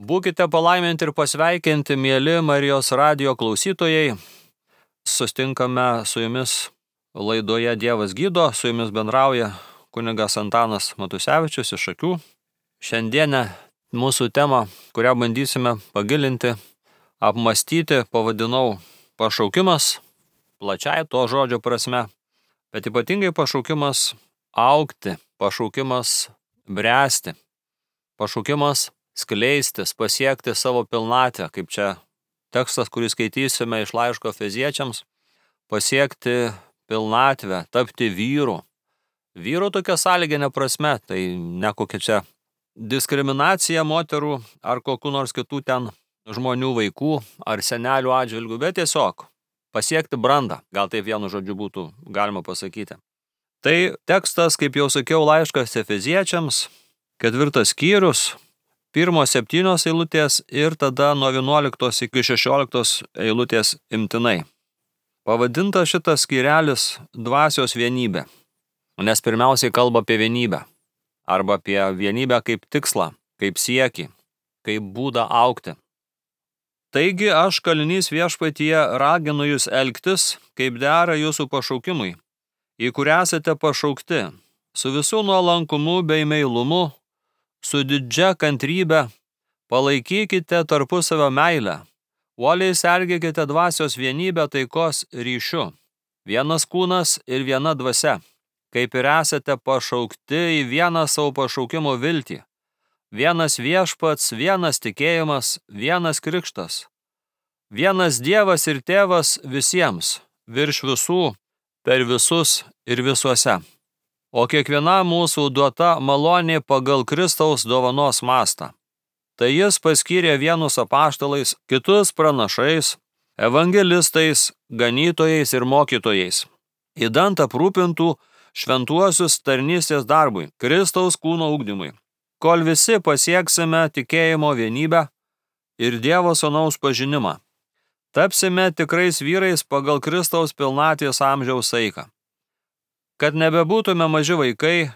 Būkite palaiminti ir pasveikinti, mieli Marijos radijo klausytojai. Sustinkame su jumis laidoje Dievas gydo, su jumis bendrauja kunigas Antanas Matusevičius iš Šakių. Šiandienę mūsų temą, kurią bandysime pagilinti, apmąstyti, pavadinau pašaukimas, plačiai to žodžio prasme, bet ypatingai pašaukimas augti, pašaukimas bręsti, pašaukimas skleistis, pasiekti savo pilnatvę, kaip čia tekstas, kurį skaitysime iš laiško Efeziečiams, pasiekti pilnatvę, tapti vyru. Vyru tokia sąlyginė prasme, tai ne kokia čia diskriminacija moterų ar kokių nors kitų ten žmonių vaikų ar senelių atžvilgių, bet tiesiog pasiekti brandą, gal taip vienu žodžiu būtų galima pasakyti. Tai tekstas, kaip jau sakiau, laiškas Efeziečiams, 4 skyrius, 1-7 eilutės ir tada nuo 11 iki 16 eilutės imtinai. Pavadinta šitas skyrelis dvasios vienybė, nes pirmiausiai kalba apie vienybę, arba apie vienybę kaip tikslą, kaip siekį, kaip būdą augti. Taigi aš, kalinys viešpatyje, raginu jūs elgtis, kaip dera jūsų pašaukimui, į kurį esate pašaukti, su visų nuolankumu bei meilumu, su didžia kantrybe, palaikykite tarpusavio meilę, uoliai sergėkite dvasios vienybę taikos ryšiu, vienas kūnas ir viena dvasia, kaip ir esate pašaukti į vieną savo pašaukimo viltį, vienas viešpats, vienas tikėjimas, vienas krikštas, vienas Dievas ir Tėvas visiems, virš visų, per visus ir visuose. O kiekviena mūsų duota malonė pagal Kristaus dovanos mastą. Tai jis paskyrė vienus apaštalais, kitus pranašais, evangelistais, ganytojais ir mokytojais, idant aprūpintų šventuosius tarnystės darbui, Kristaus kūno ugdymui, kol visi pasieksime tikėjimo vienybę ir Dievo Sūnaus pažinimą. Tapsime tikrais vyrais pagal Kristaus pilnatvės amžiaus saiką. Kad nebebūtume maži vaikai,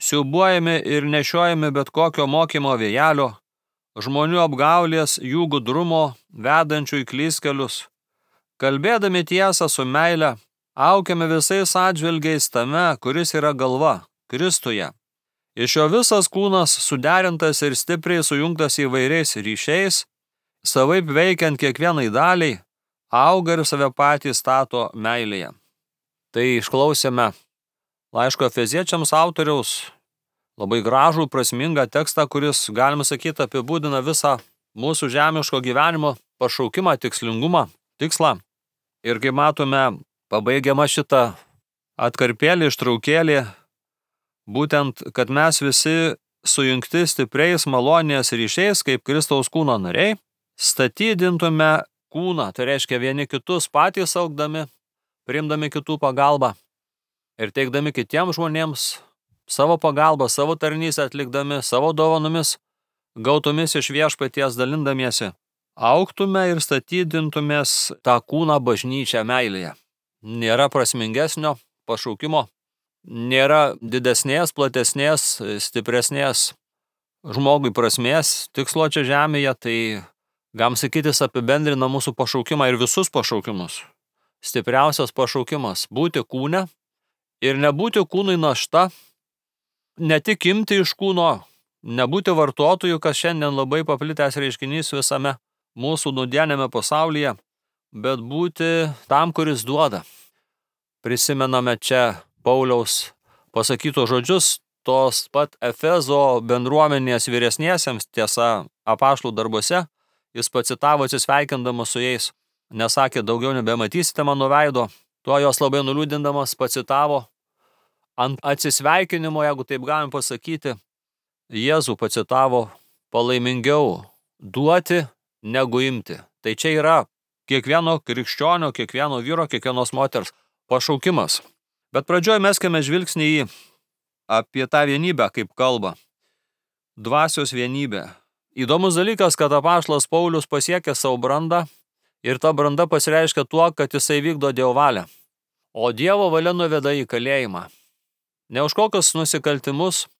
siūbuojami ir nešiojami bet kokio mokymo vėjelio, žmonių apgaulės, jų gudrumo, vedančių į klystkelius. Kalbėdami tiesą su meile, aukiame visais atžvilgiais tame, kuris yra galva, Kristuje. Iš jo visas kūnas suderintas ir stipriai sujungtas įvairiais ryšiais, savaip veikiant kiekvienai daliai, auga ir save patį stato meilėje. Tai išklausėme laiško Efeziečiams autoriaus labai gražų, prasmingą tekstą, kuris, galima sakyti, apibūdina visą mūsų žemiško gyvenimo pašaukimą, tikslingumą, tikslą. Ir kaip matome, pabaigiama šitą atkarpėlį, ištraukėlį, būtent, kad mes visi sujungti stipriais malonės ryšiais, kaip Kristaus kūno nariai, statydintume kūną, tai reiškia vieni kitus patys augdami, priimdami kitų pagalbą ir teikdami kitiems žmonėms savo pagalbą, savo tarnystę atlikdami, savo dovanomis, gautomis iš viešpaties dalindamiesi, augtume ir statydintumės tą kūną bažnyčią meilėje. Nėra prasmingesnio pašaukimo, nėra didesnės, platesnės, stipresnės žmogui prasmės tikslo čia žemėje, tai galim sakytis apibendrina mūsų pašaukimą ir visus pašaukimus. Stipriausias pašaukimas – būti kūne ir nebūti kūnui našta, ne tik imti iš kūno, nebūti vartotojų, kas šiandien labai paplitęs reiškinys visame mūsų nudienėme pasaulyje, bet būti tam, kuris duoda. Prisimename čia Pauliaus pasakytos žodžius, tos pat Efezo bendruomenės vyresniesiems, tiesa, apaštalų darbuose, jis pacitavo atsisveikindamas su jais, nesakė, daugiau nebematysite mano veido, tuo jos labai nuliūdindamas pacitavo, ant atsisveikinimo, jeigu taip galim pasakyti, Jėzų pacitavo, palaimingiau duoti negu imti. Tai čia yra kiekvieno krikščionio, kiekvieno vyro, kiekvienos moters pašaukimas. Bet pradžioj meskime žvilgsnį į apie tą vienybę, kaip kalba. Dvasios vienybė. Įdomus dalykas, kad apaštalas Paulius pasiekė savo brandą ir ta branda pasireiškia tuo, kad jisai vykdo Dievo valią. O Dievo valia nuveda į kalėjimą. Ne už kokius nusikaltimus,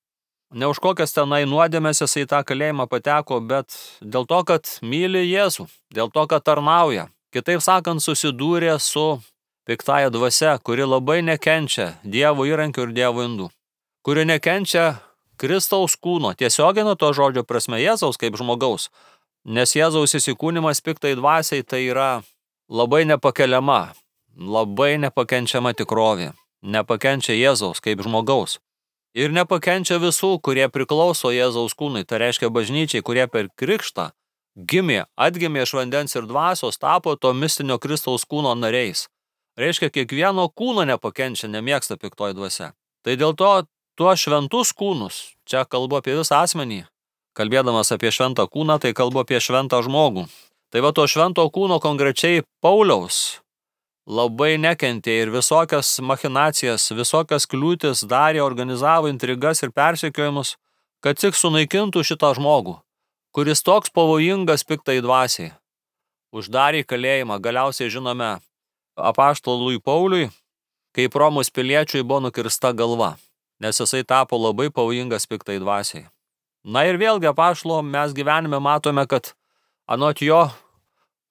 Ne už kokias tenai nuodėmės jisai į tą kalėjimą pateko, bet dėl to, kad myli Jėzų, dėl to, kad tarnauja. Kitaip sakant, susidūrė su piktąja dvasia, kuri labai nekenčia Dievo įrankių ir Dievo indų, kuri nekenčia Kristaus kūno, tiesioginio to žodžio prasme Jėzaus kaip žmogaus, nes Jėzaus įsikūnimas piktai dvasiai tai yra labai nepakeliama, labai nepakenčiama tikrovė, nepakenčia Jėzaus kaip žmogaus. Ir nepakenčia visų, kurie priklauso Jėzaus kūnui, tai reiškia bažnyčiai, kurie per krikštą atgimė iš vandens ir dvasios, tapo to mistinio Kristaus kūno nariais. Reiškia, kiekvieno kūno nepakenčia, nemėgsta piktoji dvasia. Tai dėl to tuos šventus kūnus, čia kalbu apie visą asmenį, kalbėdamas apie šventą kūną, tai kalbu apie šventą žmogų. Tai va to švento kūno konkrečiai Pauliaus labai nekentė ir visokias machinacijas, visokias kliūtis darė, organizavo intrigas ir persekiojimus, kad tik sunaikintų šitą žmogų, kuris toks pavojingas piktai dvasiai. Uždarė kalėjimą, galiausiai žinome apaštalui Pauliui, kaip Romos piliečiui buvo nukirsta galva, nes jisai tapo labai pavojingas piktai dvasiai. Na ir vėlgi apaštalo mes gyvenime matome, kad anot jo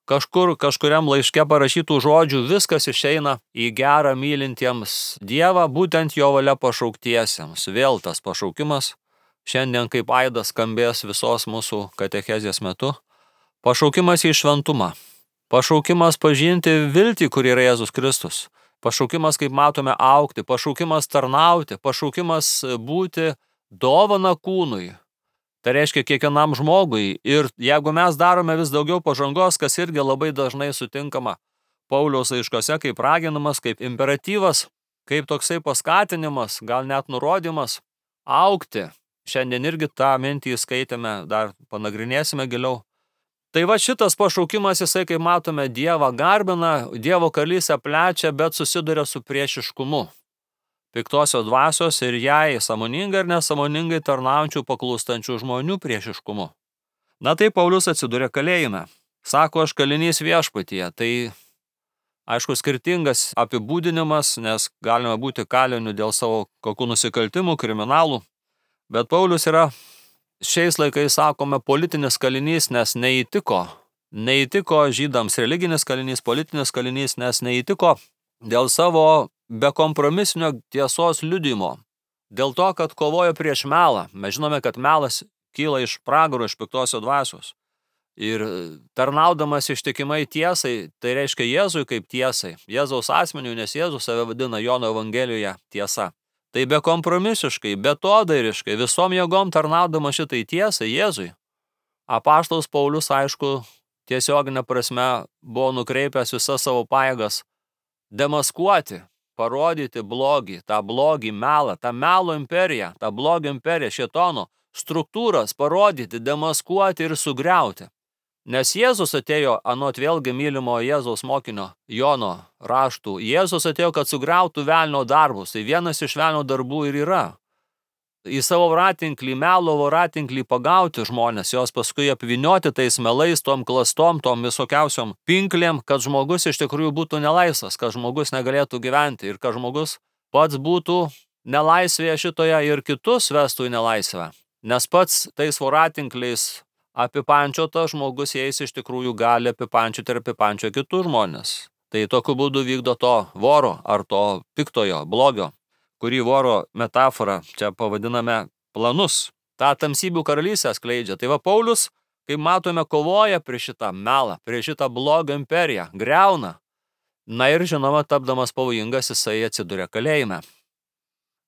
kažkuriam laiške parašytų žodžių viskas išeina į gerą mylintiems Dievą, būtent jo valia pašauktiesiems. Vėl tas pašaukimas, šiandien kaip aidas skambės visos mūsų katechezės metu. Pašaukimas į šventumą. Pašaukimas pažinti viltį, kuri yra Jėzus Kristus. Pašaukimas, kaip matome, augti. Pašaukimas tarnauti. Pašaukimas būti dovana kūnui. Tai reiškia kiekvienam žmogui. Ir jeigu mes darome vis daugiau pažangos, kas irgi labai dažnai sutinkama Pauliaus laiškose kaip raginimas, kaip imperatyvas, kaip toksai paskatinimas, gal net nurodymas, augti. Šiandien irgi tą mintį skaitėme, dar panagrinėsime giliau. Tai va šitas pašaukimas, jisai, kaip matome, Dievą garbina, Dievo karalystę plečia, bet susiduria su priešiškumu piktosios dvasios ir jai sąmoningai ir nesąmoningai tarnaujančių paklūstančių žmonių priešiškumu. Na tai Paulius atsidūrė kalėjime. Sako, aš kalinys viešpatyje. Tai aišku skirtingas apibūdinimas, nes galima būti kaliniu dėl savo kokių nusikaltimų, kriminalų. Bet Paulius yra šiais laikais, sakome, politinis kalinys, nes neįtiko žydams, religinis kalinys, politinis kalinys, nes neįtiko dėl savo bekompromisinio tiesos liudijimo. Dėl to, kad kovojo prieš melą. Mes žinome, kad melas kyla iš pragaro, iš piktosios dvasios. Ir tarnaudamas ištikimai tiesai, tai reiškia Jėzui kaip tiesai, Jėzaus asmeniu, nes Jėzus save vadina Jono Evangelijoje tiesa. Tai bekompromisiškai, betodairiškai, visom jėgom tarnaudama šitai tiesai Jėzui. Apaštalas Paulius, aišku, tiesioginė prasme buvo nukreipęs visas savo pajėgas demaskuoti, parodyti blogį, tą blogį melą, tą melo imperiją, tą blogio imperiją, šėtono struktūras parodyti, demaskuoti ir sugriauti. Nes Jėzus atėjo, anot vėlgi mylimo Jėzaus mokinio Jono raštų, Jėzus atėjo, kad sugriautų velnio darbus. Tai vienas iš velnio darbų ir yra. Į savo voratinklį, melo voratinklį pagauti žmonės, jos paskui apvynioti tais melais, tom klastom, tom visokiausiom pinklėm, kad žmogus iš tikrųjų būtų nelaisvas, kad žmogus negalėtų gyventi ir kad žmogus pats būtų nelaisvėje šitoje ir kitus vestų į nelaisvę. Nes pats tais voratinkliais apipančiota žmogus, jais iš tikrųjų gali apipančioti ir apipančio kitus žmonės. Tai tokiu būdu vykdo to voro ar to piktojo, blogio, kurį voro metaforą čia pavadiname planus. Ta tamsybių karalystę skleidžia. Tai va Paulius, kaip matome, kovoja prieš šitą melą, prieš šitą blogio imperiją, griauna. Na ir žinoma, tapdamas pavojingas, jisai atsiduria kalėjime.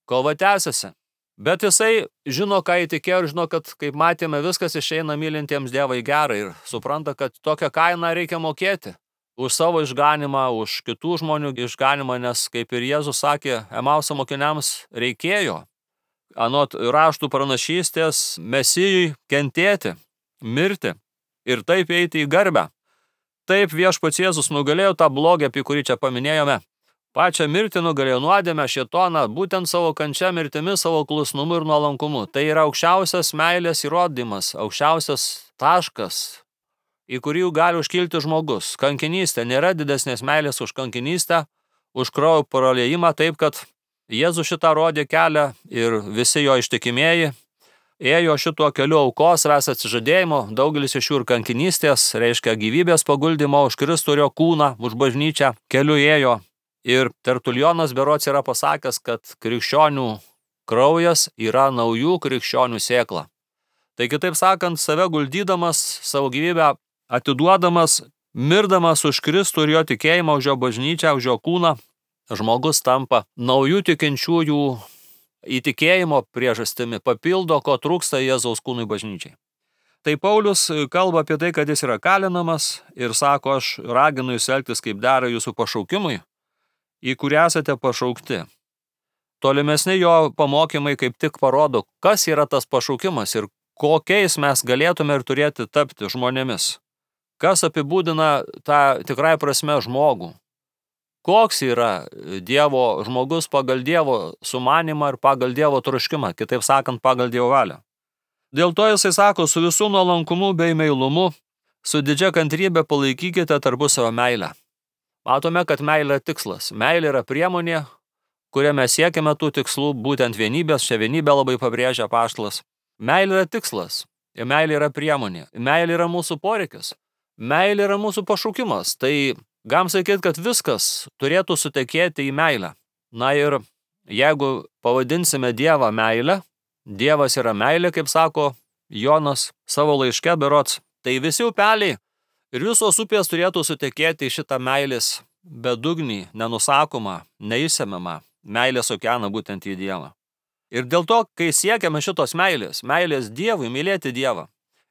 Kova tęsiasi. Bet jisai žino, ką įtikėjo ir žino, kad, kaip matėme, viskas išeina mylintiems Dievą į gerą ir supranta, kad tokią kainą reikia mokėti. Už savo išganimą, už kitų žmonių išganimą, nes, kaip ir Jėzus sakė, Emauso mokiniams reikėjo, anot raštų pranašystės, Mesijui kentėti, mirti ir taip eiti į garbę. Taip viešpats Jėzus nugalėjo tą blogį, apie kurį čia paminėjome. Pačią mirtį nugalėjo nuodėmę, šėtoną, būtent savo kančia mirtimi, savo klusnumu ir nuolankumu. Tai yra aukščiausias meilės įrodymas, aukščiausias taškas, į kurį gali užkilti žmogus. Kankinystė, nėra didesnės meilės už kankinystę, už kraujo praliejimą, taip kad Jėzus šitą rodė kelią ir visi jo ištikimieji ėjo šituo keliu aukos, savęs atsižadėjimo, daugelis iš jų ir kankinystės, reiškia gyvybės paguldimo už Kristų ir jo kūną, už bažnyčią keliu ėjo. Ir Tertulionas berods yra pasakęs, kad krikščionių kraujas yra naujų krikščionių sėkla. Tai kitaip sakant, save guldydamas, savo gyvybę atiduodamas, mirdamas už Kristų ir jo tikėjimą, už jo bažnyčią, už jo kūną, žmogus tampa naujų tikinčiųjų įtikėjimo priežastimi, papildo, ko trūksta Jėzaus kūnui bažnyčiai. Tai Paulius kalba apie tai, kad jis yra kalinamas ir sako, aš raginu jūs elgtis kaip dera jūsų pašaukimui, į kurį esate pašaukti. Tolimesni jo pamokymai kaip tik parodo, kas yra tas pašaukimas ir kokiais mes galėtume ir turėti tapti žmonėmis. Kas apibūdina tą tikrai prasme žmogų. Koks yra Dievo žmogus pagal Dievo sumanimą ir pagal Dievo troškimą, kitaip sakant, pagal Dievo valią. Dėl to jisai sako, su visų nuolankumu bei meilumu, su didžia kantrybė palaikykite tarpusavio meilę. Matome, kad meilė yra tikslas. Meilė yra priemonė, kuria mes siekiame tų tikslų, būtent vienybės, čia vienybę labai pabrėžia apaštalas. Meilė yra tikslas, ir meilė yra priemonė. Meilė yra mūsų poreikis. Meilė yra mūsų pašaukimas. Tai galim sakyti, kad viskas turėtų sutekėti į meilę. Na ir jeigu pavadinsime Dievą meilę, Dievas yra meilė, kaip sako Jonas savo laiške berods, tai visi upeliai ir visos upės turėtų sutekėti į šitą meilės bedugnį, nenusakomą, neįsemiamą meilės okeaną būtent į Dievą. Ir dėl to, kai siekiame šitos meilės Dievui, mylėti Dievą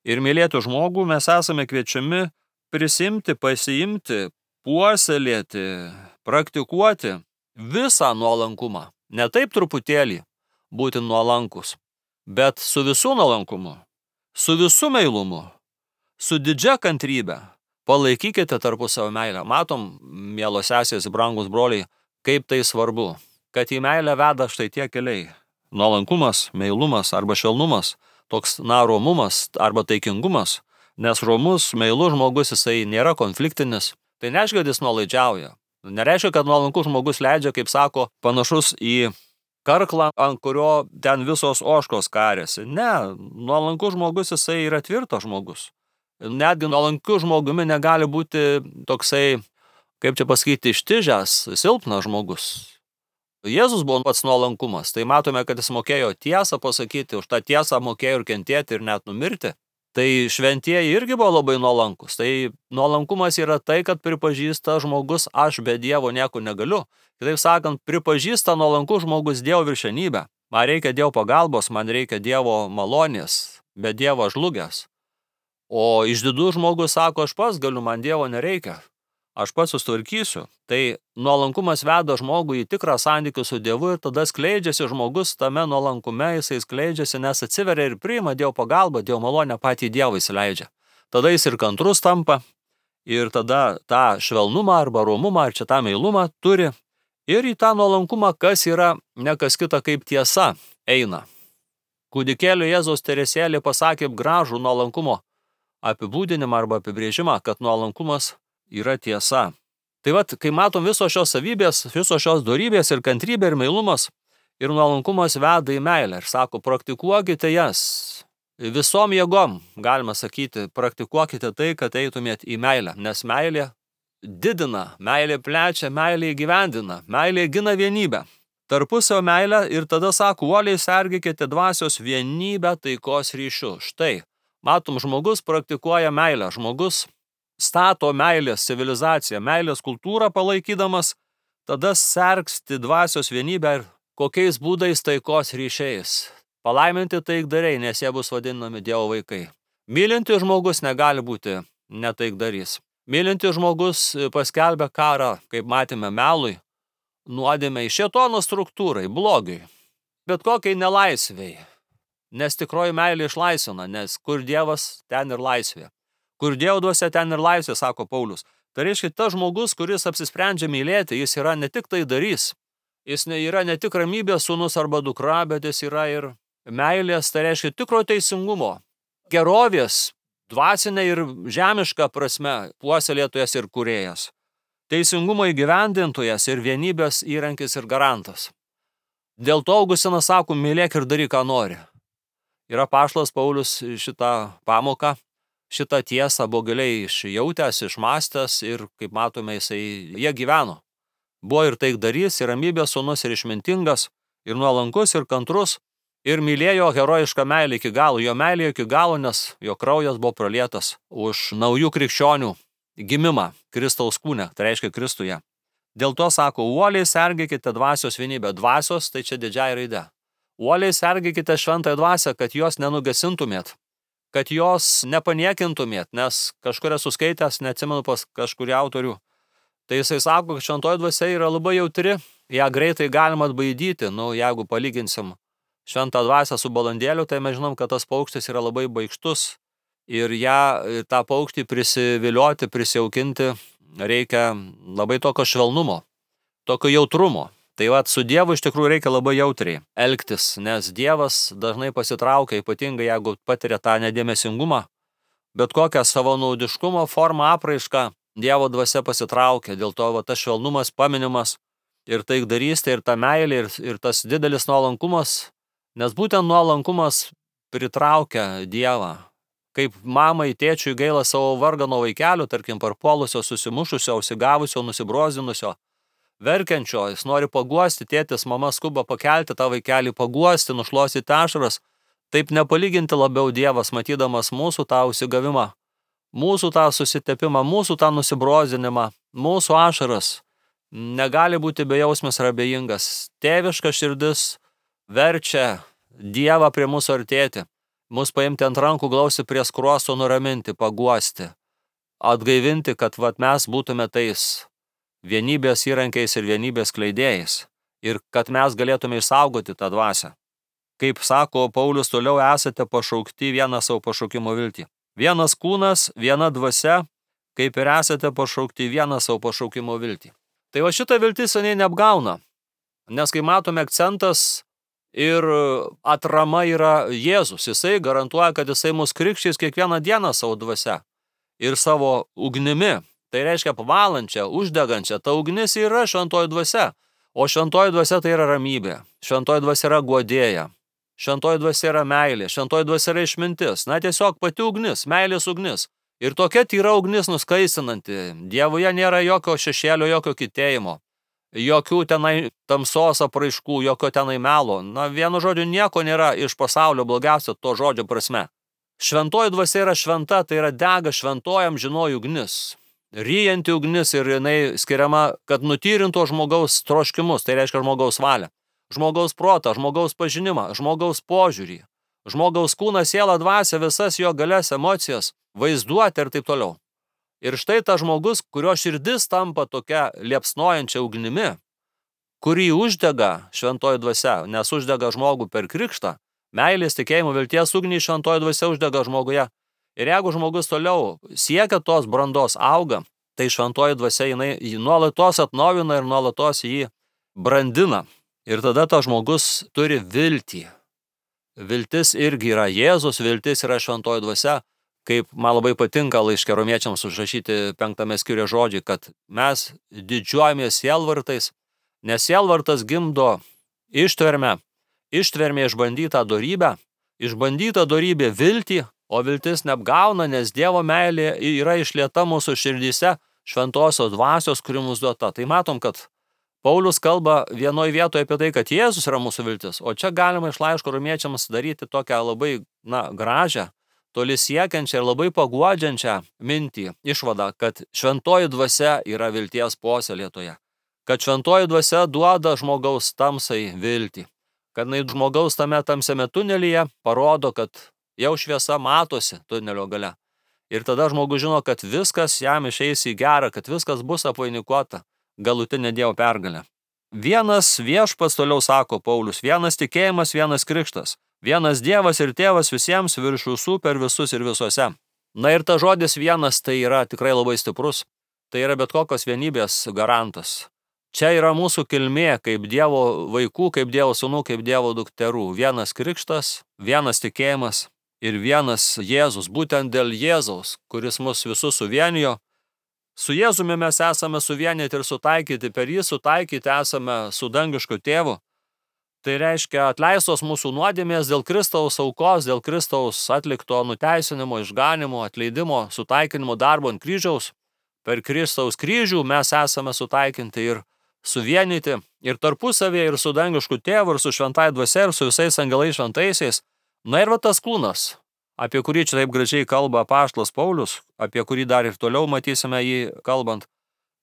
ir mylėti žmogų, mes esame kviečiami prisimti, pasiimti, puoselėti, praktikuoti visą nuolankumą. Ne taip truputėlį būti nuolankus, bet su visų nuolankumu, su visų meilumu, su didžia kantrybė. Palaikykite tarpusavio meilę. Matom, mielos sesės, brangus broliai, kaip tai svarbu, kad į meilę veda štai tie keliai. Nuolankumas, meilumas arba švelnumas, toks romumas arba taikingumas, nes romus, meilus žmogus jisai nėra konfliktinis. Tai nereiškia, kad jis nuolaidžiauja. Nereiškia, kad nuolankus žmogus leidžia, kaip sako, panašus į karklą, ant kurio ten visos ožkos kariasi. Ne, nuolankus žmogus jisai yra tvirtas žmogus. Netgi nuolankiu žmogumi negali būti toksai, kaip čia pasakyti, ištižęs, silpnas žmogus. Jėzus buvo pats nuolankumas, tai matome, kad jis mokėjo tiesą pasakyti, už tą tiesą mokėjo ir kentėti ir net numirti. Tai šventieji irgi buvo labai nuolankus. Tai nuolankumas yra tai, kad pripažįsta žmogus, aš be Dievo nieko negaliu. Kitaip sakant, pripažįsta nuolankus žmogus Dievo viršenybę. Man reikia Dievo pagalbos, man reikia Dievo malonės, be Dievo žlugęs. O išdidus žmogus sako, aš pats galiu, man Dievo nereikia, aš pats sustvarkysiu. Tai nuolankumas veda žmogų į tikrą santykių su Dievu ir tada skleidžiasi žmogus tame nuolankume, jisai skleidžiasi, nes atsiveria ir priima Dievo pagalbą, Dievo malonę patį Dievą įsileidžia. Tada jis ir kantrus tampa ir tada tą švelnumą arba romumą ar čia tą meilumą turi ir į tą nuolankumą, kas yra ne kas kita kaip tiesa, eina. Kūdikėlio Jėzaus Teresėlė pasakė gražų nuolankumo apibūdinimą arba apibrėžimą, kad nuolankumas yra tiesa. Tai vat, kai matom visos šios savybės, visos šios dorybės ir kantrybė ir meilumas ir nuolankumas veda į meilę ir sako, praktikuokite jas visom jėgom, galima sakyti, praktikuokite tai, kad eitumėt į meilę, nes meilė didina, meilė plečia, meilė įgyvendina, meilė gina vienybę. Tarpusavio meilę ir tada sako, uoliai sergėkite dvasios vienybę taikos ryšiu. Štai. Matom, žmogus praktikuoja meilę, žmogus stato meilės civilizaciją, meilės kultūrą palaikydamas, tada sergsti dvasios vienybę ir kokiais būdais taikos ryšiais. Palaiminti taikdariai, nes jie bus vadinami Dievo vaikai. Mylintis žmogus negali būti netaikdarys. Mylintis žmogus paskelbia karą, kaip matėme, melui, nuodėmei, šėtono struktūrai, blogiui, bet kokiai nelaisvei. Nes tikroji meilė išlaisvina, nes kur Dievas, ten ir laisvė. Kur Dievo dvasia, ten ir laisvė, sako Paulius. Tai reiškia, tas žmogus, kuris apsisprendžia mylėti, jis yra ne tik tai darys. Jis yra ne tik ramybės sūnus arba dukra, bet jis yra ir meilės, tai reiškia tikro teisingumo, gerovės, dvasinė ir žemiška prasme, puoselėtojas ir kūrėjas. Teisingumo įgyvendintojas ir vienybės įrankis ir garantas. Dėl to Augustinas sako, mylėk ir daryk, ką nori. Ir apaštalas Paulius šitą pamoką, šitą tiesą buvo giliai išjautęs, išmastęs ir, kaip matome, jie gyveno. Buvo ir taikdarys, ir ramybės sūnus, ir išmintingas, ir nuolankus, ir kantrus, ir mylėjo herojišką meilę iki galo. Jo meilė iki galo, nes jo kraujas buvo pralietas už naujų krikščionių gimimą Kristaus kūne, tai reiškia Kristuje. Dėl to sako, uoliai sergėkite dvasios vienybę. Dvasios, tai čia didžiai raidė. Uoliai sergėkite šventąją dvasią, kad jos nenugesintumėt, kad jos nepaniekintumėt, nes kažkur esu skaitęs, neatsimenu pas kažkurį autorių. Tai jisai sako, kad šventoji dvasia yra labai jautri, ją greitai galima atbaidyti. Jeigu palyginsim šventą dvasią su balandėliu, tai mes žinom, kad tas paukštis yra labai baikštus ir tą paukštį prisivilioti, prisijaukinti reikia labai tokio švelnumo, tokio jautrumo. Tai su Dievu iš tikrųjų reikia labai jautriai elgtis, nes Dievas dažnai pasitraukia, ypatingai jeigu patiria tą nedėmesingumą, bet kokią savanaudiškumo formą apraišką Dievo dvasia pasitraukia. Dėl to tas švelnumas, paminimas ir taikdarystė, ir ta meilė, ir tas didelis nuolankumas, nes būtent nuolankumas pritraukia Dievą. Kaip mamai, tėčiui gaila savo vargano vaikelio, tarkim, parpuolusio, susimušusio, užsigavusio, nusibrozdinusio, verkiančio, jis nori paguosti, tėtis, mama skuba pakelti tą vaikelį, paguosti, nušluostyti ašaras. Taip nepalyginti labiau Dievas, matydamas mūsų tą užsigavimą, mūsų tą susitepimą, mūsų tą nusibrozdinimą, mūsų ašaras, negali būti bejausmis ir abejingas. Tėviška širdis verčia Dievą prie mūsų artėti, mus paimti ant rankų, glausti prie skruosto, nuraminti, paguosti, atgaivinti, kad mes būtume tais vienybės įrankiais ir vienybės kleidėjais ir kad mes galėtume išsaugoti tą dvasią. Kaip sako Paulius, toliau esate pašaukti vieną savo pašaukimo viltį. Vienas kūnas, viena dvasia, kaip ir esate pašaukti vieną savo pašaukimo viltį. Tai šitą viltis seniai neapgauna, nes kai matome akcentas ir atrama yra Jėzus, jisai garantuoja, kad jisai mus krikštys kiekvieną dieną savo dvasia ir savo ugnimi. Tai reiškia pavalančią, uždegančią. Ta ugnis yra šventoji dvasia, o šventoji dvasia tai yra ramybė. Šventoji dvasia yra guodėja. Šventoji dvasia yra meilė. Šventoji dvasia yra išmintis. Tiesiog pati ugnis, meilės ugnis. Ir tokia tyra ugnis nuskaisinanti. Dievuje nėra jokio šešėlio, jokio kitėjimo. Jokių tenai tamsos apraiškų, jokio tenai melo. Vienu žodžiu, nieko nėra iš pasaulio blogiausio to žodžio prasme. Šventoji dvasia yra šventa, tai yra dega šventoji amžinoji ugnis. Ryjanti ugnis ir jinai skiriama, kad nutyrinto žmogaus troškimus, tai reiškia žmogaus valią, žmogaus protą, žmogaus pažinimą, žmogaus požiūrį, žmogaus kūną, sielą, dvasią, visas jo galias, emocijas, vaizduotę ir taip toliau. Ir štai tas žmogus, kurio širdis tampa tokia liepsnojančia ugnimi, kurį uždega šventoji dvasia, nes uždega žmogų per krikštą, meilės, tikėjimo, vilties ugnį šventoji dvasia uždega žmoguje. Ir jeigu žmogus toliau siekia tos brandos, auga, tai šventoji dvasia jinai nuolatos atnaujina ir nuolatos jį brandina. Ir tada tas žmogus turi viltį. Viltis irgi yra Jėzus, viltis yra šventoji dvasia. Kaip man labai patinka laiške Romiečiams užrašyti 5 skyriuje žodžiai, kad mes didžiuojamės sielvartais, nes sielvartas gimdo ištvermę išbandytą dorybę, išbandyta dorybė viltį, o viltis neapgauna, nes Dievo meilė yra išlieta mūsų širdyse šventosios dvasios, kuri mums duota. Tai matom, kad Paulius kalba vienoje vietoje apie tai, kad Jėzus yra mūsų viltis, o čia galima iš laiško Romiečiams daryti tokią labai gražią, toli siekiančią ir labai paguodžiančią mintį, išvadą, kad šventoji dvasia yra vilties puoselėtoja, kad šventoji dvasia duoda žmogaus tamsai viltį, kad žmogaus tame tamsiame tunelyje parodo, kad jau šviesa matosi tunelio gale. Ir tada žmogus žino, kad viskas jam išeis į gerą, kad viskas bus apvainikuota galutinė Dievo pergalė. Vienas viešpats, toliau sako Paulius, vienas tikėjimas, vienas krikštas. Vienas Dievas ir Tėvas visiems virš visų per visus ir visuose. Ir ta žodis vienas tai yra tikrai labai stiprus. Tai yra bet kokios vienybės garantas. Čia yra mūsų kilmė kaip Dievo vaikų, kaip Dievo sūnų, kaip Dievo dukterų. Vienas krikštas, vienas tikėjimas ir vienas Jėzus. Būtent dėl Jėzaus, kuris mus visus suvienijo. Su Jėzumi mes esame suvienyti ir sutaikyti. Per jį sutaikyti esame su dangišku tėvu. Tai reiškia atleistos mūsų nuodėmės dėl Kristaus aukos, dėl Kristaus atlikto nuteisinimo, išganimo, atleidimo, sutaikinimo darbo ant kryžiaus. Per Kristaus kryžių mes esame sutaikinti ir suvienyti ir tarpusavėje, ir su dangišku tėvu, ir su šventai dvasia, ir su visais angelais šventaisiais. Na ir va tas kūnas, apie kurį čia taip gražiai kalba apaštalas Paulius, apie kurį dar ir toliau matysime jį kalbant.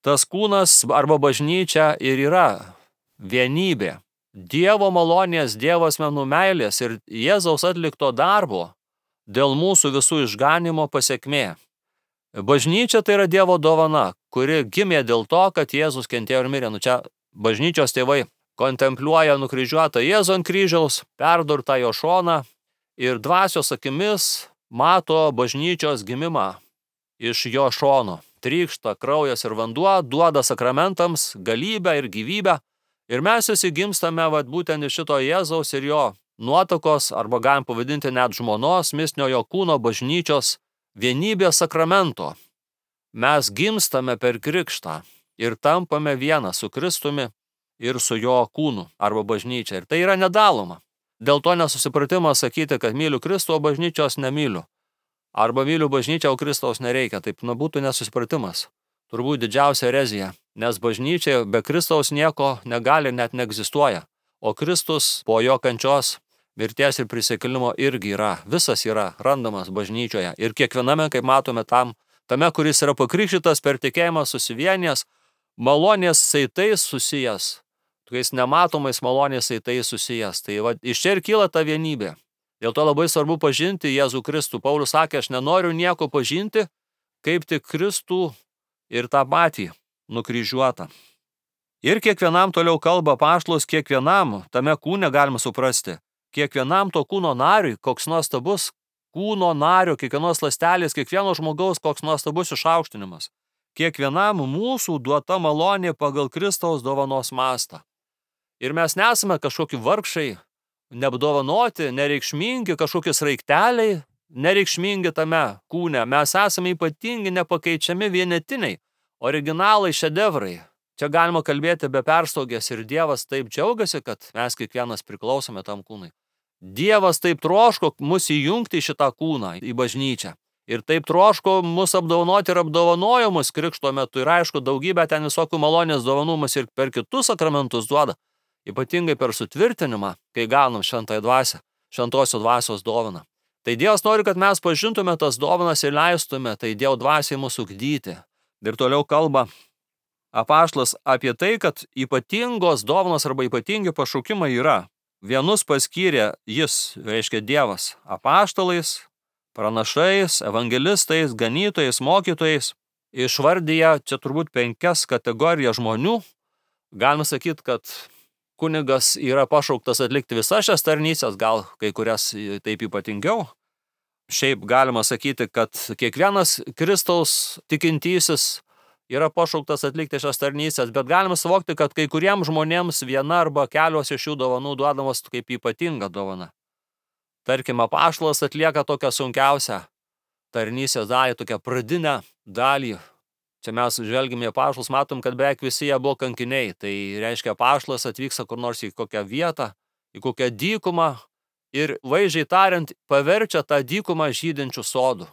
Tas kūnas arba bažnyčia ir yra vienybė. Dievo malonės, Dievo asmenų meilės ir Jėzaus atlikto darbo dėl mūsų visų išganimo pasekmė. Bažnyčia tai yra Dievo dovana, kuri gimė dėl to, kad Jėzus kentėjo ir mirė. Čia bažnyčios tėvai kontempliuoja nukryžiuotą Jėzų ant kryžiaus, perdurtą jo šoną ir dvasios akimis mato bažnyčios gimimą iš jo šono. Trykšta kraujas ir vanduo, duoda sakramentams galybę ir gyvybę. Ir mes visi gimstame būtent iš šito Jėzaus ir jo nuotakos, arba galim pavadinti net žmonos, mistinio jo kūno bažnyčios vienybės sakramento. Mes gimstame per krikštą ir tampame vieną su Kristumi ir su jo kūnu arba bažnyčia. Ir tai yra nedaloma. Dėl to nesusipratimas sakyti, kad myliu Kristų, o bažnyčios nemyliu. Arba myliu bažnyčią, o Kristaus nereikia. Taip būtų nesusipratimas. Turbūt didžiausia erezija, nes bažnyčia be Kristaus nieko negali, net neegzistuoja. O Kristus po jo kančios, mirties ir prisikėlimo irgi yra, visas yra randamas bažnyčioje. Ir kiekviename, kaip matome, tame, kuris yra pakrikštytas per tikėjimą susivienijęs, malonės saitais susijęs, tokiais nematomais malonės saitais susijęs. Tai iš čia ir kyla ta vienybė. Dėl to labai svarbu pažinti Jėzų Kristų. Paulius sakė, aš nenoriu nieko pažinti, kaip tik Kristų ir tą patį nukryžiuotą. Ir kiekvienam toliau kalba apaštalas, kiekvienam tame kūne galima suprasti. Kiekvienam to kūno nariui, koks nuostabus kūno nario, kiekvienos ląstelės, kiekvieno žmogaus, koks nuostabus išaukštinimas. Kiekvienam mūsų duota malonė pagal Kristaus dovanos mastą. Ir mes nesame kažkokie vargšai, neapdovanoti, nereikšmingi, kažkokie sraigteliai, nereikšmingi tame kūne. Mes esame ypatingi, nepakeičiami, vienetiniai, originalai, šedevrai. Čia galima kalbėti be perstogės ir Dievas taip džiaugiasi, kad mes kiekvienas priklausome tam kūnui. Dievas taip troško mus įjungti į šitą kūną, į bažnyčią. Ir taip troško mus apdovanoti ir apdovanojo mus krikšto metu. Ir aišku, daugybę ten visokių malonės dovanų mus ir per kitus sakramentus duoda. Ypatingai per sutvirtinimą, kai gaunam šventąją dvasią, šventosios dvasios dovaną. Tai Dievas nori, kad mes pažintume tas dovanas ir leistume tai Dievo dvasiai mūsų ugdyti. Ir toliau kalba apaštalas apie tai, kad ypatingos dovanos arba ypatingi pašaukimai yra. Vienus paskyrė jis, reiškia Dievas, apaštalais, pranašais, evangelistais, ganytojais, mokytojais. Išvardyja čia turbūt 5 kategorijas žmonių. Galima sakyti, kad kunigas yra pašauktas atlikti visas šias tarnystės, gal kai kurias taip ypatingiau. Šiaip galima sakyti, kad kiekvienas Kristaus tikintysis yra pašauktas atlikti šias tarnystės, bet galima suvokti, kad kai kuriems žmonėms viena arba kelios iš šių dovanų duodamos kaip ypatinga dovana. Tarkim, apaštalas atlieka tokią sunkiausią tarnystės dalį, tokią pradinę dalį. Čia mes žvelgime į apaštalus, matom, kad beveik visi jie buvo kankiniai. Tai reiškia, apaštalas atvyksta kur nors į kokią vietą, į kokią dykumą ir vaizdžiai tariant paverčia tą dykumą žydinčių sodų.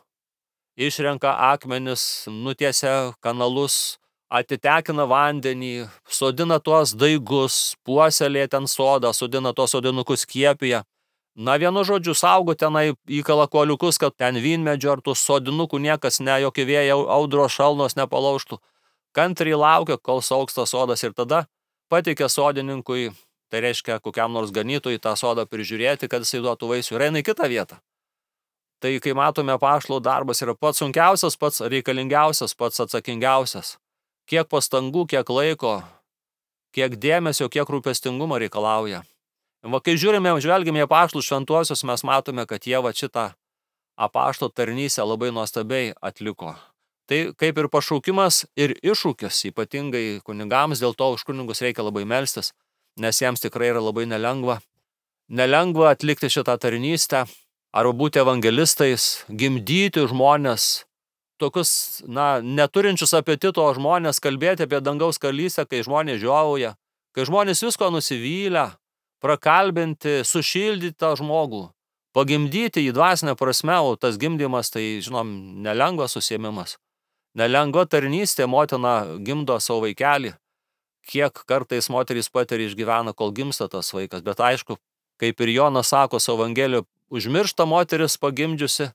Išrenka akmenis, nutiesia kanalus, atitekina vandenį, sodina tuos daigus, puoselėja ten sodą, sodina tuos sodinukus skiepija. Na, vienu žodžiu, saugo tenai įkala kuoliukus, kad ten vynmedžio ar tų sodinukų niekas jokie vėjai, audros, šalnos nepalaužtų. Kantriai laukia, kol saugs tas sodas ir tada pateikia sodininkui, tai reiškia kokiam nors ganytojui tą sodą prižiūrėti, kad jisai duotų vaisių ir eina į kitą vietą. Tai, kai matome, apaštalų darbas yra pats sunkiausias, pats reikalingiausias, pats atsakingiausias. Kiek pastangų, kiek laiko, kiek dėmesio, kiek rūpestingumo reikalauja. Kai žvelgime į apaštalus šventuosius, mes matome, kad jie šitą apaštalų tarnystę labai nuostabiai atliko. Tai kaip ir pašaukimas ir iššūkis, ypatingai kunigams, dėl to už kunigus reikia labai melstis, nes jiems tikrai yra labai nelengva. Nelengva atlikti šitą tarnystę, arba būti evangelistais, gimdyti žmonės, tokius, neturinčius apetito žmonės, kalbėti apie dangaus karalystę, kai žmonės žiovauja, kai žmonės visko nusivylę, prakalbinti, sušildyti tą žmogų, pagimdyti į dvasinę prasme, o tas gimdymas, tai, žinom, nelengvas užsiėmimas. Nelengva tarnystė, motina gimdo savo vaikelį. Kiek kartais moterys patiria išgyvena, kol gimsta tas vaikas, bet aišku, kaip ir Jonas sako savo Evangelijoje, užmiršta moteris pagimdžiusi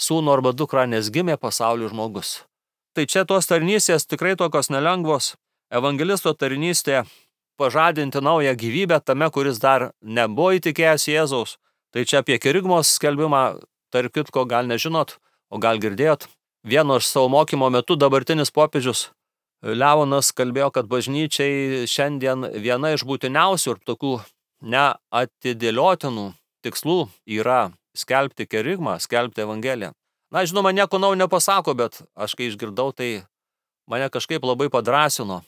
sūnų arba dukrą, nes gimė pasaulių žmogus. Tai čia tos tarnystės tikrai tokios nelengvos. Evangelisto tarnystė pažadinti naują gyvybę tame, kuris dar nebuvo įtikėjęs Jėzaus. Tai čia apie kerigmos skelbimą, tarp kitko, gal nežinot, o gal girdėjot. Vieno iš savo mokymo metu dabartinis popiežius Leonas kalbėjo, kad bažnyčiai šiandien viena iš būtiniausių ir tokių neatidėliotinų tikslų yra skelbti kerigmą, skelbti Evangeliją. Na, žinoma, nieko naujo nepasako, bet aš kai išgirdau, tai mane kažkaip labai padrąsino.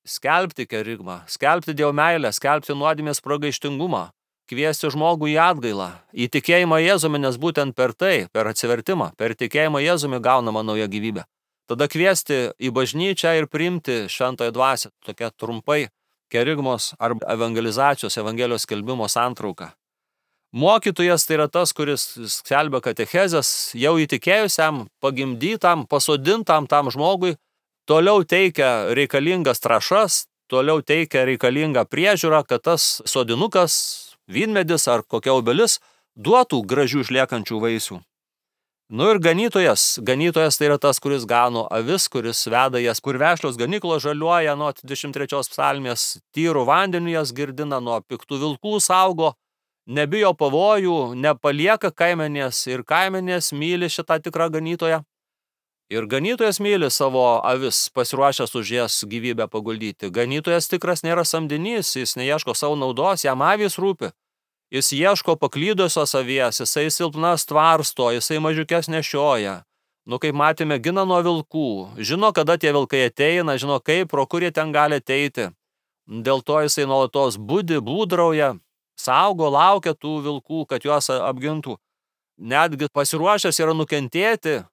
Skelbti kerigmą, skelbti Dievo meilę, skelbti nuodėmės pragaištingumą, kviesti žmogų į atgailą, į tikėjimą Jėzumi, nes būtent per tai, per atsivertimą, per tikėjimą Jėzumi gaunama nauja gyvybė. Tada kviesti į bažnyčią ir priimti šventąją dvasią, tokia trumpai kerigmos arba evangelizacijos, Evangelijos skelbimo santrauka. Mokytojas tai yra tas, kuris skelbia katechezes jau įtikėjusiam, pagimdytam, pasodintam tam žmogui, toliau teikia reikalingas trąšas, toliau teikia reikalingą priežiūrą, kad tas sodinukas, vynmedis ar kokia obelis duotų gražių išliekančių vaisių. Nu ir ganytojas tai yra tas, kuris gano avis, kuris veda jas, kur vešlios ganyklos žaliuoja nuo 23 psalmės, tyrų vandeniu jas girdina, nuo piktų vilkų saugo, nebijo pavojų, nepalieka kaimenės ir kaimenės myli šitą tikrą ganytoją. Ir ganytojas myli savo avis, pasiruošęs už jas gyvybę paguldyti. Ganytojas tikras nėra samdinys, jis neieško savo naudos, jam avys rūpi. Jis ieško paklydusios avies, jisai silpnas tvarsto, jisai mažiukes nešioja. Nu, kaip matėme, gina nuo vilkų. Žino, kada tie vilkai ateina, žino kaip, pro kur jie ten gali ateiti. Dėl to jisai nuolatos budi, būdrauja, saugo, laukia tų vilkų, kad juos apgintų. Netgi pasiruošęs yra nukentėti,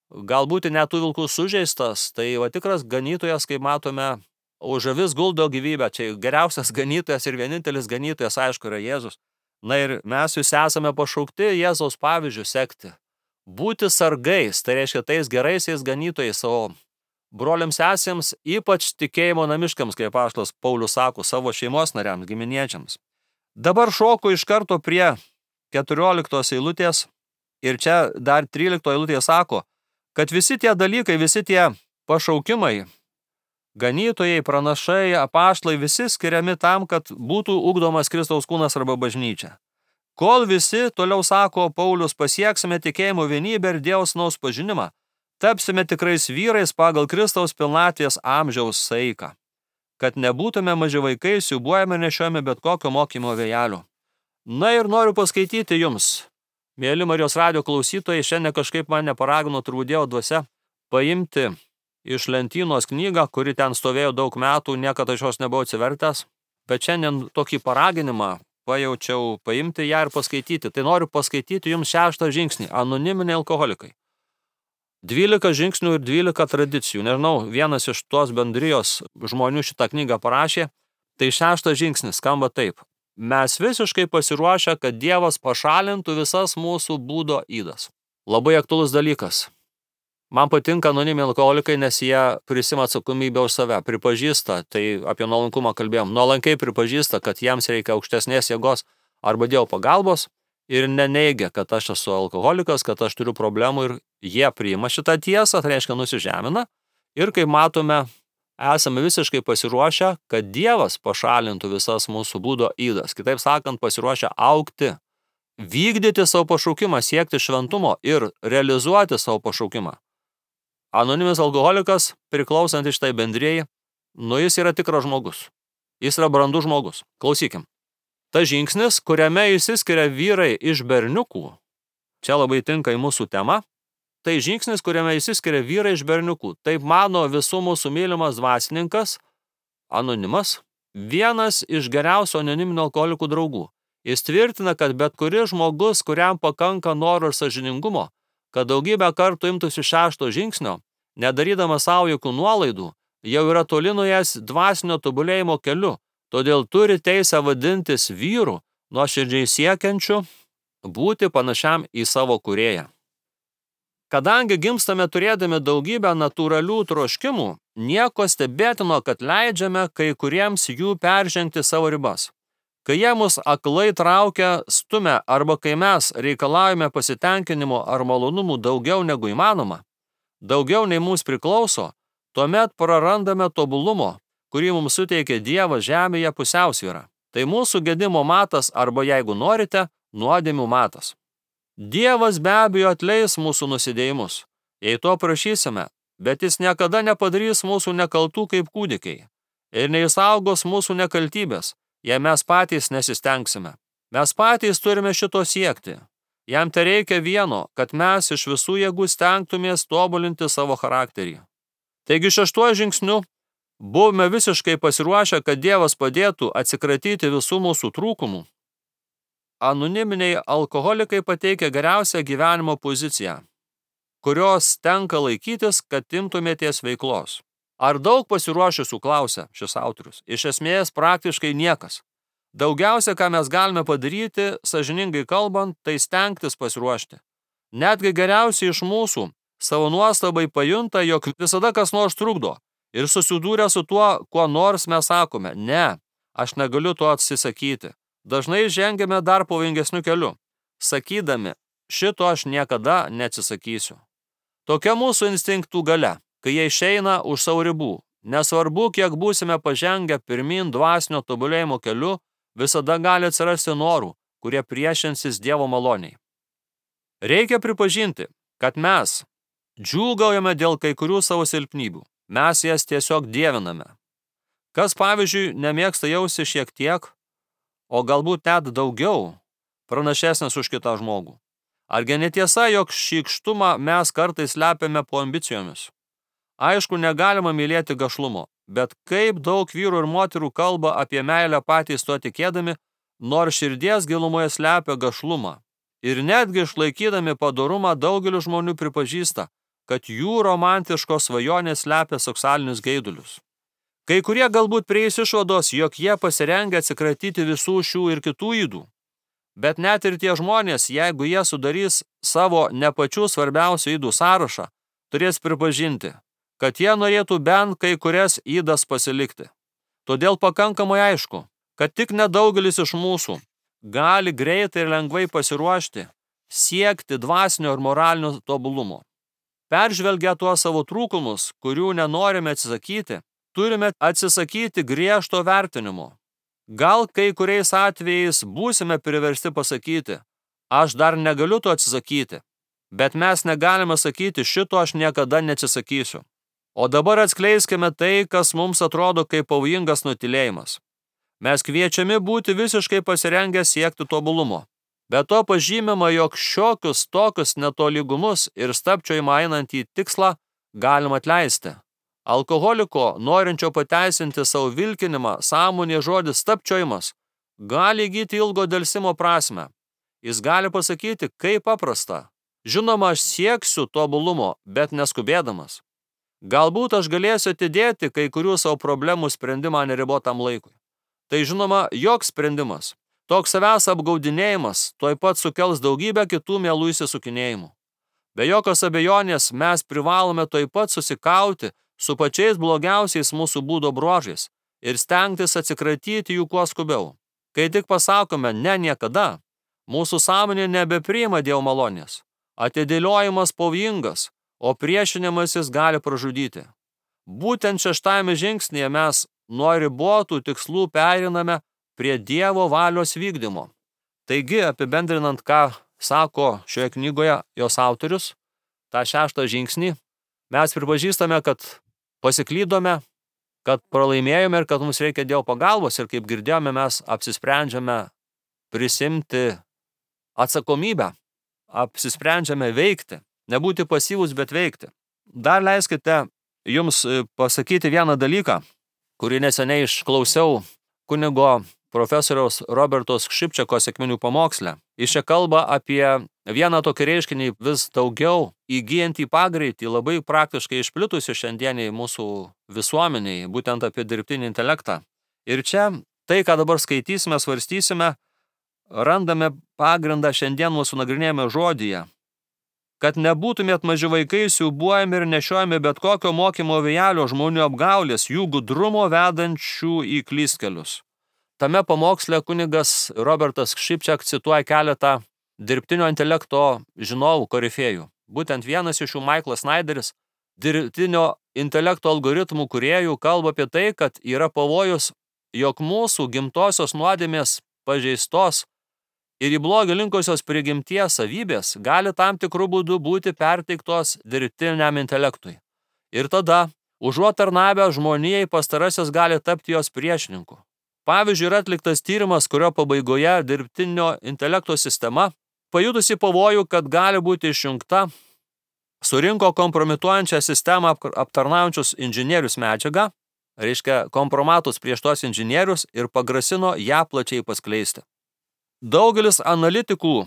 galbūt net tų vilkų sužeistas. Tai va tikras ganytojas, kaip matome, už avis guldo gyvybę. Čia geriausias ganytojas ir vienintelis ganytojas, aišku, yra Jėzus. Na ir mes visi esame pašaukti Jėzaus pavyzdžių sekti. Būti sargais, tai reiškia tais geraisiais ganytojais savo broliams sesėms, ypač tikėjimo namiškams, kaip apaštalas Paulius sako, savo šeimos nariams, giminėčiams. Dabar šoku iš karto prie 14 eilutės ir čia dar 13 eilutė sako, kad visi tie dalykai, visi tie pašaukimai, ganytojai, pranašai, apaštalai, visi skiriami tam, kad būtų ugdomas Kristaus kūnas arba bažnyčia. Kol visi, toliau sako Paulius, pasieksime tikėjimo vienybę ir Dievo sūnaus pažinimą, tapsime tikrais vyrais pagal Kristaus pilnatvės amžiaus saiką, kad nebūtume maži vaikai, siūbuojame nešiojame bet kokio mokymo vėjelių. Na ir noriu paskaityti jums, mėly Marijos radijo klausytojai, šiandien kažkaip mane paragino turbūt Dievo dvasia paimti iš lentynos knygą, kuri ten stovėjo daug metų, niekada iš jos nebuvau atsivertęs, bet šiandien tokį paraginimą pajaučiau paimti ją ir paskaityti. Tai noriu paskaityti jums 6 žingsnį, anoniminiai alkoholikai. 12 žingsnių ir 12 tradicijų. Nežinau, vienas iš tos bendrijos žmonių šitą knygą parašė, tai 6 žingsnis skamba taip. Mes visiškai pasiruošę, kad Dievas pašalintų visas mūsų būdo ydas. Labai aktualus dalykas. Man patinka anoniminiai alkoholikai, nes jie prisima atsakomybę už save, pripažįsta, tai apie nuolankumą kalbėjom, nuolankiai pripažįsta, kad jiems reikia aukštesnės jėgos arba Dievo pagalbos ir neneigia, kad aš esu alkoholikas, kad aš turiu problemų ir jie priima šitą tiesą, tai reiškia nusižemina ir kaip matome, esame visiškai pasiruošę, kad Dievas pašalintų visas mūsų būdo ydas, kitaip sakant, pasiruošę augti, vykdyti savo pašaukimą, siekti šventumo ir realizuoti savo pašaukimą. Anoniminis alkoholikas, priklausantis šitai bendrijai, jis yra tikras žmogus. Jis yra brandus žmogus. Klausykim. Ta žingsnis, kuriame išsiskiria vyrai iš berniukų, čia labai tinka į mūsų temą, tai žingsnis, kuriame išsiskiria vyrai iš berniukų. Taip mano visų mūsų mylimas dvasininkas, anonimas, vienas iš geriausių anoniminių alkoholikų draugų. Jis tvirtina, kad bet kuris žmogus, kuriam pakanka noro ir sąžiningumo, kad daugybę kartų imtųsi 6 žingsnio, nedarydamas savo jokių nuolaidų, jau yra toli nuėjęs dvasinio tobulėjimo keliu, todėl turi teisę vadintis vyru, nuoširdžiai siekiančiu būti panašiam į savo kūrėją. Kadangi gimstame turėdami daugybę natūralių troškimų, nieko stebėtino, kad leidžiame kai kuriems jų peržengti savo ribas. Kai jie mus aklai traukia, stumia arba kai mes reikalaujame pasitenkinimo ar malonumų daugiau negu įmanoma, daugiau nei mums priklauso, tuomet prarandame tobulumo, kurį mums suteikė Dievas žemėje pusiausvyrą. Tai mūsų gedimo matas arba, jeigu norite, nuodėmių matas. Dievas be abejo atleis mūsų nusidėjimus, jei to prašysime, bet jis niekada nepadarys mūsų nekaltų kaip kūdikiai ir neišsaugos mūsų nekaltybės, jei mes patys nesistengsime. Mes patys turime šito siekti. Jam tereikia vieno, kad mes iš visų jėgų stengtumės tobulinti savo charakterį. Taigi 6 žingsniu buvome visiškai pasiruošę, kad Dievas padėtų atsikratyti visų mūsų trūkumų. Anoniminiai alkoholikai pateikia geriausią gyvenimo poziciją, kurios tenka laikytis, kad imtumėties veiklos. Ar daug pasiruošusių, klausia šis autorius? Iš esmės praktiškai niekas. Daugiausia, ką mes galime padaryti, sąžiningai kalbant, tai stengtis pasiruošti. Netgi geriausiai iš mūsų savo nuostabai pajunta, jog visada kas nors trukdo ir susidūrę su tuo, kuo nors mes sakome, ne, aš negaliu to atsisakyti. Dažnai žengiame dar pavojingesniu keliu, sakydami, šito aš niekada neatsisakysiu. Tokia mūsų instinktų galia, kai jie išeina už savo ribų. Nesvarbu, kiek būsime pažengę pirmin dvasinio tobulėjimo keliu, visada gali atsirasti norų, kurie priešinsis Dievo maloniai. Reikia pripažinti, kad mes džiūgaujame dėl kai kurių savo silpnybių. Mes jas tiesiog dieviname. Kas, pavyzdžiui, nemėgsta jausti šiek tiek, o galbūt net daugiau, pranašesnis už kitą žmogų. Argi netiesa, jog šykštumą mes kartais slepiame po ambicijomis? Aišku, negalima mylėti gašlumo, bet kaip daug vyrų ir moterų kalba apie meilę patys to tikėdami, nors širdies gilumoje slepia gašlumą. Ir netgi išlaikydami padorumą daugelis žmonių pripažįsta, kad jų romantiškos svajonės slepia seksualinius geidulius. Kai kurie galbūt prieis išvados, jog jie pasirengę atsikratyti visų šių ir kitų ydų. Bet net ir tie žmonės, jeigu jie sudarys savo ne pačių svarbiausių ydų sąrašą, turės pripažinti, kad jie norėtų bent kai kurias ydas pasilikti. Todėl pakankamai aišku, kad tik nedaugelis iš mūsų gali greitai ir lengvai pasiruošti, siekti dvasinio ir moralinio tobulumo. Peržvelgę tuos savo trūkumus, kurių nenorime atsisakyti, turime atsisakyti griežto vertinimo. Gal kai kuriais atvejais būsime priversti pasakyti, aš dar negaliu to atsisakyti, bet mes negalime sakyti, šito aš niekada neatsisakysiu. O dabar atskleiskime tai, kas mums atrodo kaip pavojingas nutylėjimas. Mes kviečiami būti visiškai pasirengę siekti tobulumo. Be to pažymima, jog šiokius tokius netolygumus ir stabčiojimą einant į tikslą galima atleisti. Alkoholiko, norinčio pateisinti savo vilkinimą, sąmonė žodis stabčiojimas, gali įgyti ilgo delsimo prasmę. Jis gali pasakyti, kaip paprasta. Žinoma, aš sieksiu tobulumo, bet neskubėdamas. Galbūt aš galėsiu atidėti kai kurių savo problemų sprendimą neribotam laikui. Tai žinoma, joks sprendimas. Toks savęs apgaudinėjimas tuoj pat sukels daugybę kitų mielų įsisukinėjimų. Be jokios abejonės mes privalome tuoj pat susikauti su pačiais blogiausiais mūsų būdo bruožais ir stengtis atsikratyti jų kuo skubiau. Kai tik pasakome ne niekada, mūsų sąmonė nebepriima Dievo malonės. Atidėliojimas pavojingas, o priešinimasis gali pražudyti. Būtent 6 žingsnyje mes nuo ribotų tikslų pereiname prie Dievo valios vykdymo. Taigi, apibendrinant, ką sako šioje knygoje jos autorius, tą 6 žingsnį, mes pripažįstame, kad pasiklydome, kad pralaimėjome ir kad mums reikia Dievo pagalbos ir kaip girdėjome, mes apsisprendžiame prisimti atsakomybę, apsisprendžiame veikti, nebūti pasyvus, bet veikti. Dar leiskite jums pasakyti vieną dalyką, kurį neseniai išklausiau kunigo profesoriaus Robertos Šipčiako sekminių pamoksle. Jis čia kalba apie vieną tokį reiškinį vis daugiau įgyjantį pagreitį, labai praktiškai išplitusi šiandieniai mūsų visuomeniai, būtent apie dirbtinį intelektą. Ir čia Tai, ką dabar skaitysime, svarstysime, randame pagrindą šiandien mūsų nagrinėjame žodyje. Kad nebūtumėt maži vaikai, siūbuojami ir nešiojami bet kokio mokymo vėjelio žmonių apgaulės, jų gudrumo vedančių į klystkelius. Tame pamoksle kunigas Robertas Šipčiak cituoja keletą dirbtinio intelekto žinovų korifėjų. Būtent vienas iš jų, Michaelas Snyderis, dirbtinio intelekto algoritmų kūrėjų, kalba apie tai, kad yra pavojus, jog mūsų gimtosios nuodėmės pažeistos ir į blogį linkusios prigimties savybės gali tam tikrų būdų būti perteiktos dirbtiniam intelektui. Ir tada, užuot tarnavę žmonijai, pastarasis gali tapti jos priešininku. Pavyzdžiui, yra atliktas tyrimas, kurio pabaigoje dirbtinio intelekto sistema, pajutusi pavojų, kad gali būti išjungta, surinko kompromituojančią sistemą aptarnaujančius inžinierius medžiagą, reiškia kompromatus prieš tos inžinierius, ir pagrasino ją plačiai paskleisti. Daugelis analitikų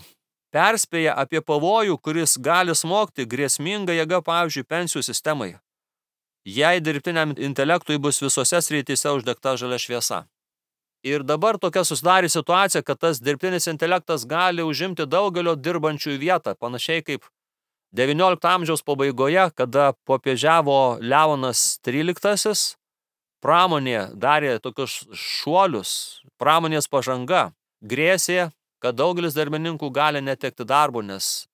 perspėja apie pavojų, kuris gali smogti grėsminga jėga, pavyzdžiui, pensijų sistemai, jei dirbtiniam intelektui bus visose srityse uždegta žalia šviesa. Ir dabar tokia susidarė situacija, kad tas dirbtinis intelektas gali užimti daugelio dirbančių vietą, panašiai kaip XIX amžiaus pabaigoje, kada popiežiavo Leonas XIII, pramonė darė tokius šuolius, pramonės pažanga grėsė, kad daugelis darbininkų gali netekti darbo, nes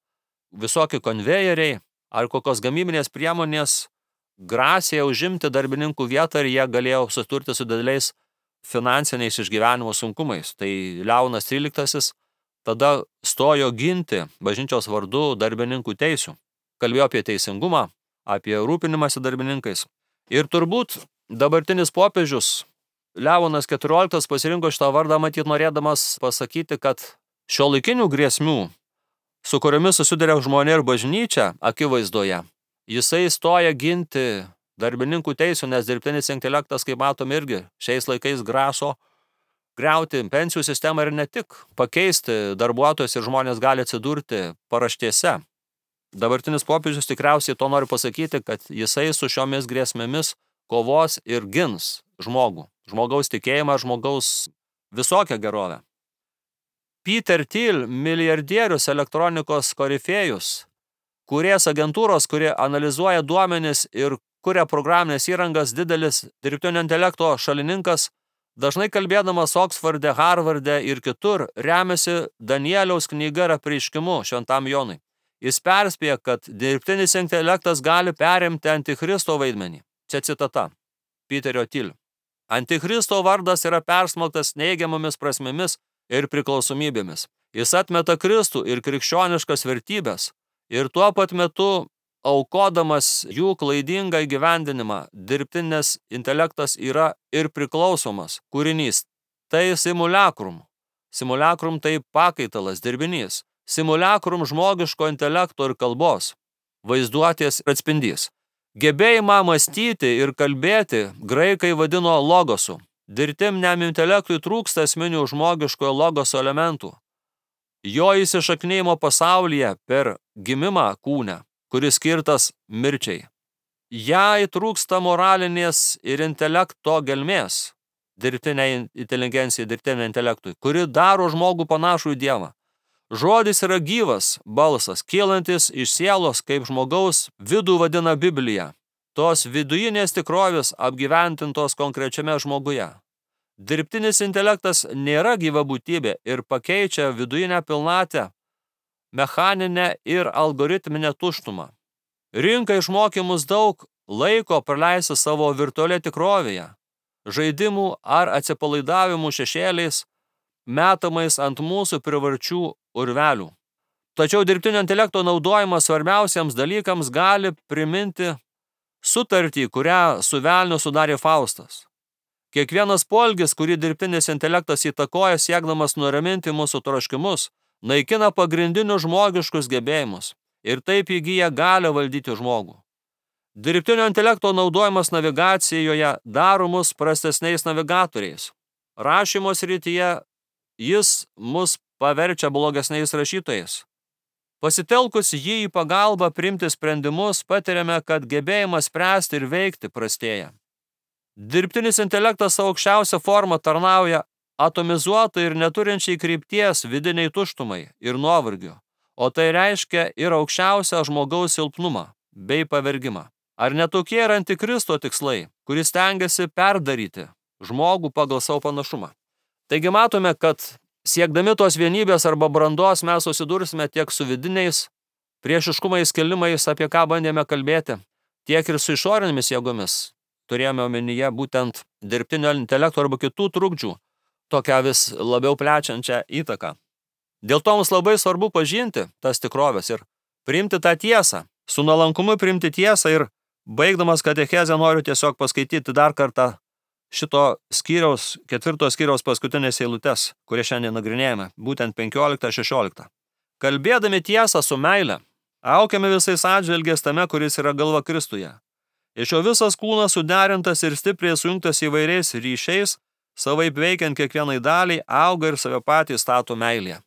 visokie konvejeriai ar kokios gamybinės priemonės grasė užimti darbininkų vietą ir jie galėjo susidurti su dideliais finansiniais išgyvenimo sunkumais. Tai Leonas XIII tada stojo ginti bažnyčios vardu darbininkų teisių. Kalbėjo apie teisingumą, apie rūpinimąsi darbininkais. Ir turbūt dabartinis popiežius Leonas XIV pasirinko šitą vardą, matyt, norėdamas pasakyti, kad šiuolaikinių grėsmių, su kuriomis susiduria žmonė ir bažnyčia akivaizdoje, jisai stoja ginti darbininkų teisių, nes dirbtinis intelektas, kaip matom, irgi šiais laikais graso griauti pensijų sistemą ir ne tik pakeisti darbuotojus, ir žmonės gali atsidurti paraštėse. Dabartinis popiežius tikriausiai to nori pasakyti, kad jisai su šiomis grėsmėmis kovos ir gins žmogų, žmogaus tikėjimą, žmogaus visokią gerovę. Peter Thiel, milijardierius elektronikos korifėjus, kūrėjas agentūros, kurie analizuoja duomenis ir kuria programinės įrangas, didelis dirbtinio intelekto šalininkas, dažnai kalbėdamas Oksforde, Harvarde ir kitur, remiasi Danieliaus knyga ir apreiškimu Šventam Jonui. Jis perspėja, kad dirbtinis intelektas gali perimti Antikristo vaidmenį. Čia citata Peterio Thiel. Antikristo vardas yra persmelktas neigiamomis prasmėmis ir priklausomybėmis. Jis atmeta Kristų ir krikščioniškas vertybės ir tuo pat metu aukodamas jų klaidingą įgyvendinimą, dirbtinis intelektas yra ir priklausomas kūrinys. Tai simulakrum. Simulakrum tai pakaitalas, dirbinys. Simulakrum žmogiško intelekto ir kalbos, vaizduotės atspindys. Gebėjimą mąstyti ir kalbėti graikai vadino logosu. Dirbtiniam intelektui trūksta esminių žmogiškojo logoso elementų. Jo įsišaknėjimo pasaulyje per gimimą kūne, kuris skirtas mirčiai. Jai trūksta moralinės ir intelekto gelmės, dirbtiniai inteligencijai, dirbtiniam intelektui, kuri daro žmogų panašų į Dievą. Žodis yra gyvas balsas, kylantis iš sielos, kaip žmogaus vidų vadina Biblija, tos vidujinės tikrovės apgyventintos konkrečiame žmoguje. Dirbtinis intelektas nėra gyva būtybė ir pakeičia vidujinę pilnatę, mechaninę ir algoritminę tuštumą. Rinka išmokė mus daug laiko praleisti savo virtualioje tikrovėje, žaidimų ar atsipalaidavimų šešėliais, metamais ant mūsų privarčių urvelių. Tačiau dirbtinio intelekto naudojimas svarbiausiams dalykams gali priminti sutartį, kurią su velniu sudarė Faustas. Kiekvienas poelgis, kurį dirbtinis intelektas įtakoja siekdamas nuraminti mūsų troškimus, naikina pagrindinius žmogiškus gebėjimus ir taip įgyja galią valdyti žmogų. Dirbtinio intelekto naudojimas navigacijoje daro mus prastesniais navigatoriais. Rašymo srityje jis mus paverčia blogesniais rašytojais. Pasitelkus jį į pagalbą priimti sprendimus, patiriame, kad gebėjimas spręsti ir veikti prastėja. Dirbtinis intelektas savo aukščiausią formą tarnauja atomizuotai ir neturinčiai krypties vidiniai tuštumai ir nuovargiu, o tai reiškia ir aukščiausią žmogaus silpnumą bei pavergimą. Ar netokie yra antikristo tikslai, kuris stengiasi perdaryti žmogų pagal savo panašumą? Taigi matome, kad siekdami tos vienybės arba brandos mes susidursime tiek su vidiniais priešiškumais kelimais, apie ką bandėme kalbėti, tiek ir su išorinėmis jėgomis. Turėjome omenyje būtent dirbtinio intelekto arba kitų trukdžių, tokią vis labiau plečiančią įtaką. Dėl to mums labai svarbu pažinti tas tikrovės ir priimti tą tiesą, su nuolankumu priimti tiesą. Ir baigdamas katechezę noriu tiesiog paskaityti dar kartą šito skyriaus, 4 skyriaus paskutinės eilutes, kurie šiandien nagrinėjame, būtent 15-16. Kalbėdami tiesą su meile, aukiame visais atžvilgiais tame, kuris yra galva Kristuje. Iš jo visas kūnas suderintas ir stipriai sujungtas įvairiais ryšiais, savaip veikiant kiekvienai daliai, auga ir save patį stato meilėje.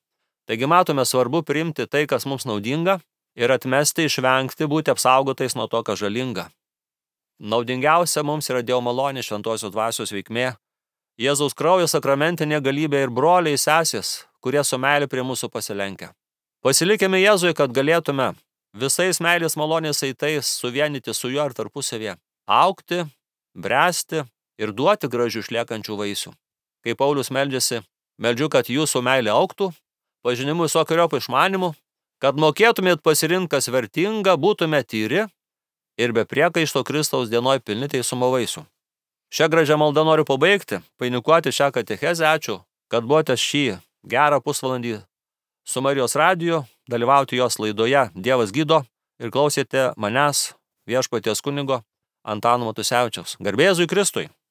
Taigi matome, svarbu priimti tai, kas mums naudinga, ir atmesti, išvengti, būti apsaugotais nuo to, kas žalinga. Naudingiausia mums yra Dievo malonė, šventosios dvasios veikmė, Jėzaus kraujo sakramentinė galybė ir broliai sesės, kurie su meilė prie mūsų pasilenkia. Pasilikime Jėzui, kad galėtume visais meilės malonės saitais suvienyti su juo ir tarpusavėje, augti, bręsti ir duoti gražių išliekančių vaisių. Kai Paulius meldžiasi, meldžiu, kad jūsų meilė augtų, pažinimu visokeriopų išmanimų, kad mokėtumėt pasirinkti, kas vertinga, būtume tyri ir be priekaišto Kristaus dienoj pilni teisumo vaisių. Šią gražią maldą noriu pabaigti, vainikuoti šią katechezę. Ačiū, kad buvote šį gerą pusvalandį su Marijos radiju, dalyvauti jos laidoje Dievas gydo ir klausėte manęs, Viešpaties kunigo Antano Matusevičiaus. Garbė Jėzui Kristui.